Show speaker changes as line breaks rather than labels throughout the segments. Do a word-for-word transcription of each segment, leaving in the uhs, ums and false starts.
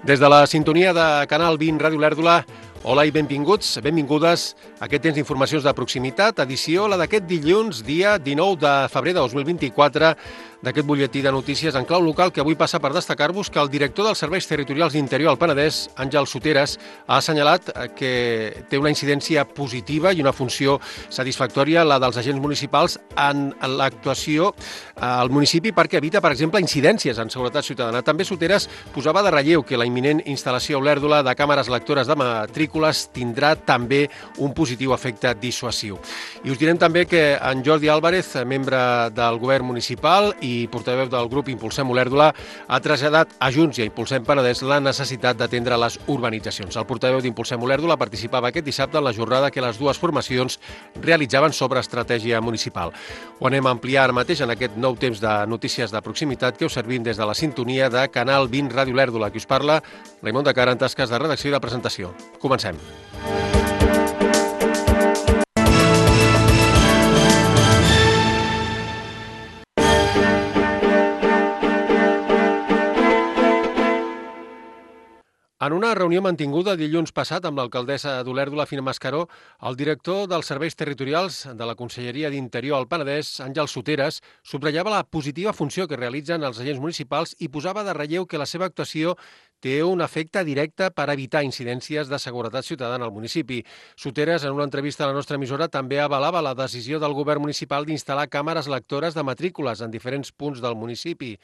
Des de la sintonia de Canal vint Ràdio Olèrdola, hola i benvinguts, benvingudes a aquest temps d'informacions de proximitat, edició la d'aquest dilluns, dia dinou de febrer de dos mil vint-i-quatre, d'aquest butlletí de notícies en clau local que avui passa per destacar-vos que el director dels Serveis Territorials d'Interior al Penedès, Àngel Soteras, ha assenyalat que té una incidència positiva i una funció satisfactòria la dels agents municipals en l'actuació al municipi perquè evita, per exemple, incidències en seguretat ciutadana. També Soteras posava de relleu que la imminent instal·lació a Olèrdola de càmeres lectores de matrícules tindrà també un positiu efecte dissuasiu. I us direm també que en Jordi Álvarez, membre del govern municipal i i portaveu del grup Impulsem Olèrdola, ha traslladat a Junts i a Impulsem Penedès la necessitat d'atendre les urbanitzacions. El portaveu d'Impulsem Olèrdola participava aquest dissabte en la jornada que les dues formacions realitzaven sobre estratègia municipal. Ho anem a ampliar ara mateix en aquest nou temps de notícies de proximitat que us servim des de la sintonia de Canal vint Ràdio Olèrdola. Qui us parla, Raimon de Cara, en tasques de redacció i de presentació. Comencem. En una reunió mantinguda dilluns passat amb l'alcaldessa d'Olèrdola, Fina Mascaró, el director dels Serveis Territorials de la Conselleria d'Interior al Penedès, Àngel Soteras, subratllava la positiva funció que realitzen els agents municipals i posava de relleu que la seva actuació té un efecte directe per evitar incidències de seguretat ciutadana al municipi. Soteras, en una entrevista a la nostra emissora, també avalava la decisió del govern municipal d'instal·lar càmeres lectores de matrícules en diferents punts del municipi.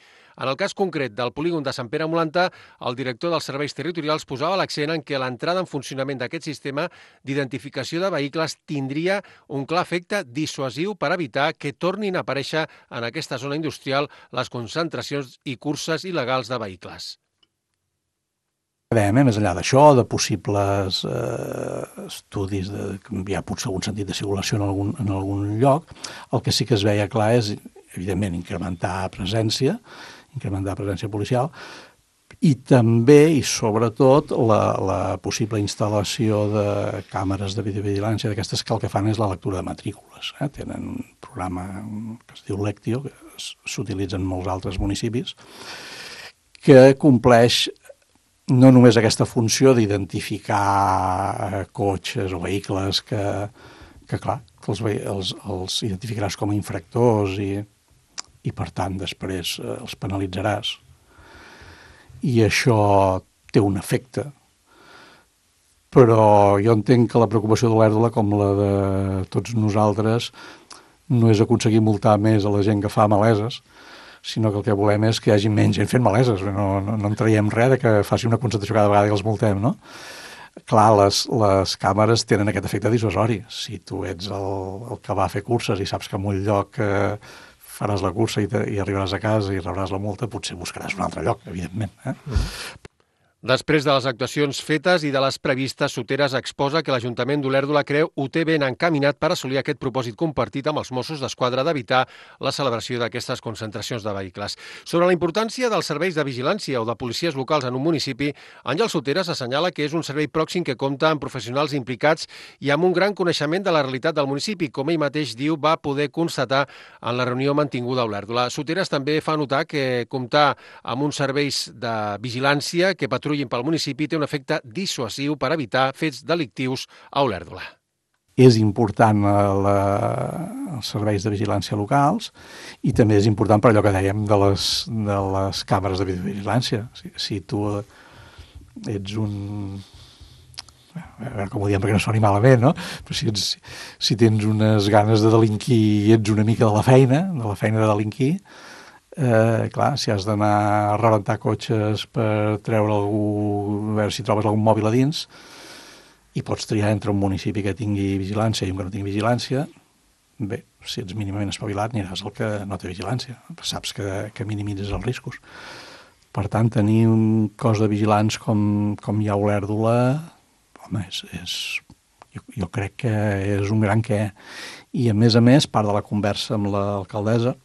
En el cas concret del polígon de Sant Pere Molanta, el director dels Serveis Territorials posava l'accent en que l'entrada en funcionament d'aquest sistema d'identificació de vehicles tindria un clar efecte dissuasiu per evitar que tornin a aparèixer en aquesta zona industrial les concentracions i curses il·legals de vehicles.
Més enllà d'això, de possibles eh, estudis de canviar potser algun sentit de circulació en algun, en algun lloc, el que sí que es veia clar és, evidentment, incrementar presència, incrementar presència policial, i també, i sobretot, la, la possible instal·lació de càmeres de videovigilància d'aquestes que el que fan és la lectura de matrícules. Eh? Tenen un programa que es diu Lectio, que s'utilitza en molts altres municipis, que compleix no només aquesta funció d'identificar cotxes o vehicles que, que clar, que els, els, els identificaràs com a infractors i, i per tant, després els penalitzaràs. I això té un efecte. Però jo entenc que la preocupació d'Olèrdola, com la de tots nosaltres, no és aconseguir multar més a la gent que fa maleses, sinó que el que volem és que hi hagi menys gent fent maleses. No, no, no en traiem res de que faci una concentració cada vegada que els multem, no? Clar, les, les càmeres tenen aquest efecte dissuasori. Si tu ets el, el que va a fer curses i saps que en un lloc eh, faràs la cursa i, te, i arribaràs a casa i rebràs la multa, potser buscaràs un altre lloc, evidentment. Eh? Mm-hmm.
Després de les actuacions fetes i de les previstes, Soteras exposa que l'Ajuntament d'Olèrdola creu ho té ben encaminat per assolir aquest propòsit compartit amb els Mossos d'Esquadra d'evitar la celebració d'aquestes concentracions de vehicles. Sobre la importància dels serveis de vigilància o de policies locals en un municipi, Àngel Soteras assenyala que és un servei pròxim que compta amb professionals implicats i amb un gran coneixement de la realitat del municipi, com ell mateix diu va poder constatar en la reunió mantinguda a Olèrdola. Soteras també fa notar que comptar amb uns serveis de vigilància que patrullin pel municipi té un efecte dissuasiu per evitar fets delictius a Olèrdola.
És important la, els serveis de vigilància locals i també és important per allò que dèiem de les, de les càmeres de videovigilància. Si, si tu ets un... a veure com ho diem perquè no soni malament, no? Però si, ets, si tens unes ganes de delinquir i ets una mica de la feina, de la feina de delinquir, Eh, clar, si has d'anar a rebentar cotxes per treure algú, a veure si trobes algun mòbil a dins, i pots triar entre un municipi que tingui vigilància i un que no tingui vigilància, bé, si ets mínimament espavilat aniràs al que no té vigilància, saps que, que minimitzes els riscos. Per tant, tenir un cos de vigilants com, com hi ha a Olèrdola, home, és, és, jo, jo crec que és un gran què. I a més a més, part de la conversa amb l'alcaldessa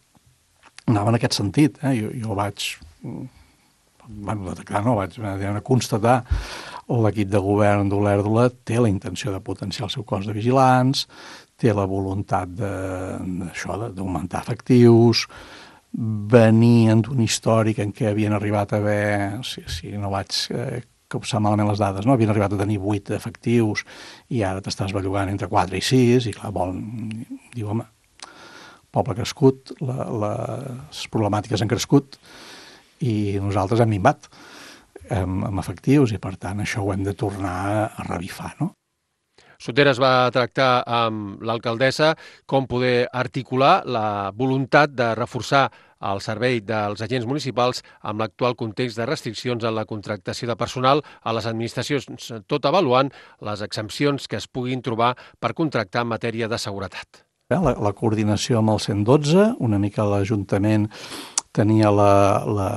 anava en aquest sentit. Eh? Jo, jo vaig, bueno, detectar, no, vaig constatar l'equip de govern d'Olèrdola té la intenció de potenciar el seu cos de vigilants, té la voluntat d'això, d'augmentar efectius, venien d'un històric en què havien arribat a haver, si, si no vaig eh, copsar malament les dades, no? Havien arribat a tenir vuit efectius i ara t'estàs bellugant entre quatre i sis i clar, vol, diu, home, poble crescut, la, les problemàtiques han crescut i nosaltres hem minvat amb, amb efectius i per tant això ho hem de tornar a revifar, no?
Soteras va tractar amb l'alcaldessa com poder articular la voluntat de reforçar el servei dels agents municipals amb l'actual context de restriccions en la contractació de personal a les administracions, tot avaluant les exempcions que es puguin trobar per contractar en matèria de seguretat.
La, la coordinació amb el cent dotze, una mica l'Ajuntament tenia la, la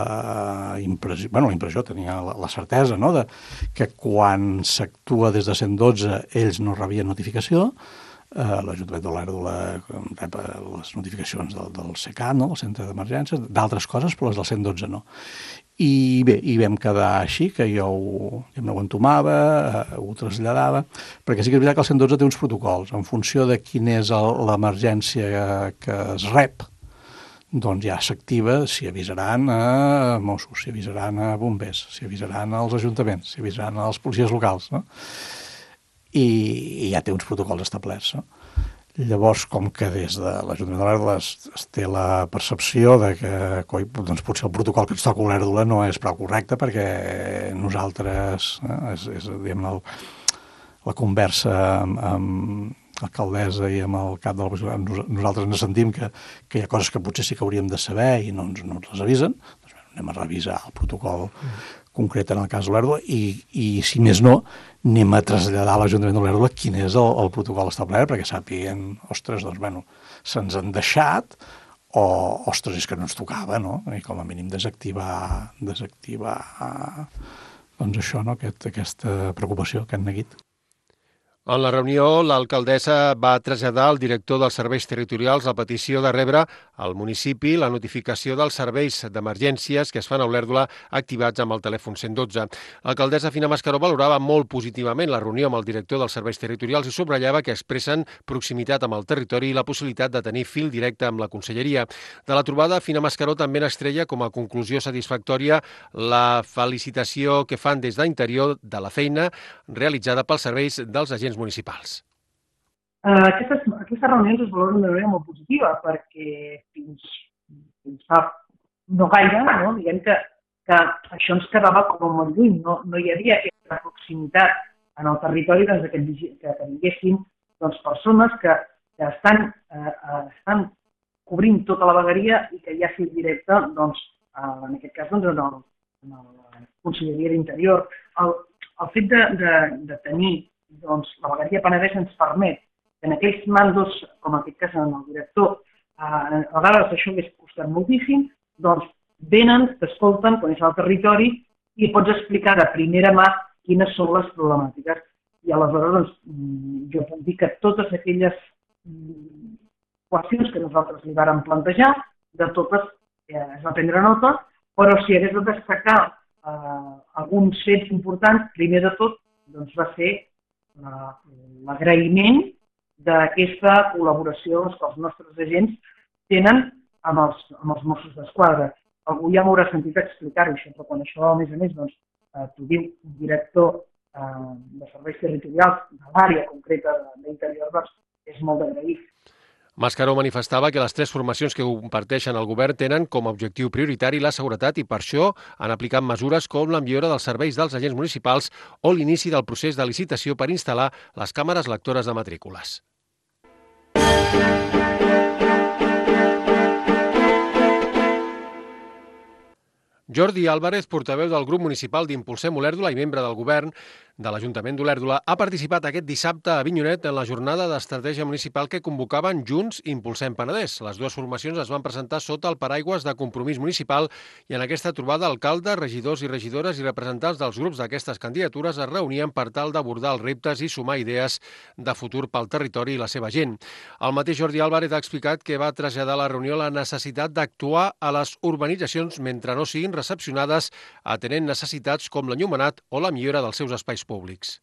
impressió, bueno, la impressió, tenia la, la certesa, no?, de que quan s'actua des de cent dotze ells no rebien notificació, eh, l'Ajuntament d'Olèrdola rep les notificacions del, del SECAT, no?, el centre d'emergències, d'altres coses, però les del cent dotze no. I bé, hi vam quedar així, que jo ho, jo ho entomava, eh, ho traslladava, perquè sí que és veritat que el cent dotze té uns protocols, en funció de quina és l'emergència que es rep, doncs ja s'activa si avisaran a Mossos, si avisaran a bombers, si avisaran als ajuntaments, si avisaran als policies locals, no? I, i ja té uns protocols establerts, no? Llavors, com que des de l'Ajuntament de l'Olèrdola es, es té la percepció de que coi, doncs potser el protocol que ens toca a Olèrdola no és prou correcte perquè nosaltres, eh, és, és diguem, el, la conversa amb, amb alcaldessa i amb el cap de la... Nosaltres ens sentim que, que hi ha coses que potser sí que hauríem de saber i no ens, no ens les avisen, doncs bé, anem a revisar el protocol mm. concret en el cas d'Olèrdola i, i, si més no, anem a traslladar a l'Ajuntament d'Olèrdola quin és el, el protocol establert perquè sàpiguen, ostres, doncs, bueno, se'ns han deixat o, ostres, és que no ens tocava, no? I com a mínim desactivar, desactivar doncs això, no?, Aquest, aquesta preocupació, aquest neguit.
En la reunió, l'alcaldessa va traslladar al director dels serveis territorials la petició de rebre al municipi la notificació dels serveis d'emergències que es fan a Olèrdola activats amb el telèfon cent dotze. L'alcaldessa Fina Mascaró valorava molt positivament la reunió amb el director dels serveis territorials i subratllava que expressen proximitat amb el territori i la possibilitat de tenir fil directe amb la conselleria. De la trobada, Fina Mascaró també n'extreia com a conclusió satisfactòria la felicitació que fan des d'Interior de la feina realitzada pels serveis dels agents municipals.
Uh, aquestes, aquestes reunions es valoren d'una manera molt positiva perquè fins, fins fa no gaire, no? Diguem que, que això ens quedava com molt lluny, no, no hi havia aquesta proximitat en el territori doncs, que, que tinguessin doncs, persones que, que estan, uh, estan cobrint tota la vegueria i que hi ha fil directe, doncs, uh, en aquest cas, doncs, en, el, en la Conselleria d'Interior. El, el fet de, de, de tenir doncs, la vegueria Penedès ens permet que en aquells mandos, com en aquest cas en el director, eh, a vegades això hagués costat moltíssim, doncs venen, t'escolten, coneixen el territori i pots explicar de primera mà quines són les problemàtiques. I aleshores doncs, jo puc dir que totes aquelles qüestions que nosaltres li vàrem plantejar, de totes eh, es va prendre nota, però si hagués de destacar eh, alguns fets importants, primer de tot doncs, va ser l'agraïment d'aquesta col·laboració que els nostres agents tenen amb els, amb els Mossos d'Esquadra. Algú ja m'haurà sentit explicar-ho, això, però quan això, a més a més, doncs, eh, t'ho diu un director eh, de serveis territorials de l'àrea concreta d'Interior, doncs, és molt d'agrair.
Mascaró manifestava que les tres formacions que comparteixen el govern tenen com a objectiu prioritari la seguretat i per això han aplicat mesures com la millora dels serveis dels agents municipals o l'inici del procés de licitació per instal·lar les càmeres lectores de matrícules. Jordi Álvarez, portaveu del grup municipal d'Impulsem Olèrdola i membre del govern de l'Ajuntament d'Olèrdola, ha participat aquest dissabte a Avinyonet en la jornada d'estratègia municipal que convocaven Junts Impulsem Penedès. Les dues formacions es van presentar sota el paraigües de Compromís Municipal i en aquesta trobada alcaldes, regidors i regidores i representants dels grups d'aquestes candidatures es reunien per tal d'abordar els reptes i sumar idees de futur pel territori i la seva gent. El mateix Jordi Álvarez ha explicat que va traslladar a la reunió la necessitat d'actuar a les urbanitzacions mentre no siguin recepcionades atenent necessitats com l'enllumenat o la millora dels seus espais públics.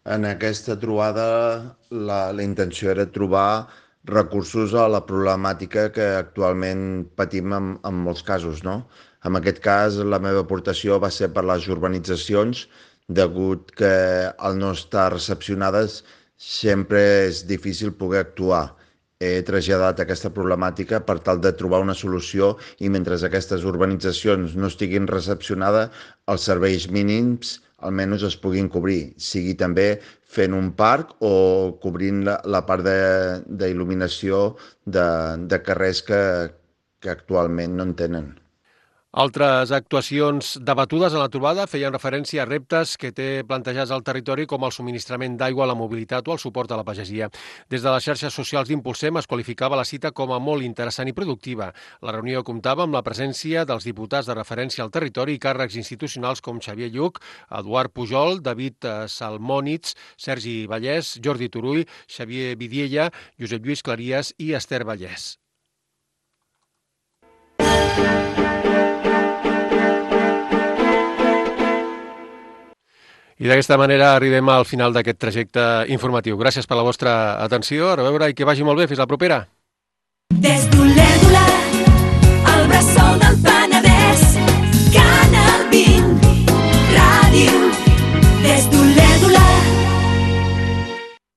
En aquesta trobada la, la intenció era trobar recursos a la problemàtica que actualment patim en, en molts casos, no? En aquest cas, la meva aportació va ser per les urbanitzacions, degut que al no estar recepcionades sempre és difícil poder actuar. He traslladat aquesta problemàtica per tal de trobar una solució i mentre aquestes urbanitzacions no estiguin recepcionades, els serveis mínims almenys es puguin cobrir, sigui també fent un parc o cobrint la, la part d'il·luminació de, de, de carrers que, que actualment no en tenen.
Altres actuacions debatudes en la trobada feien referència a reptes que té plantejats al territori com el subministrament d'aigua, la mobilitat o el suport a la pagesia. Des de les xarxes socials d'Impulsem es qualificava la cita com a molt interessant i productiva. La reunió comptava amb la presència dels diputats de referència al territori i càrrecs institucionals com Xavier Lluc, Eduard Pujol, David Salmònitz, Sergi Vallès, Jordi Turull, Xavier Vidiella, Josep Lluís Claries i Esther Vallès. I d'aquesta manera arribem al final d'aquest trajecte informatiu. Gràcies per la vostra atenció. A reveure i que vagi molt bé. Fins la propera.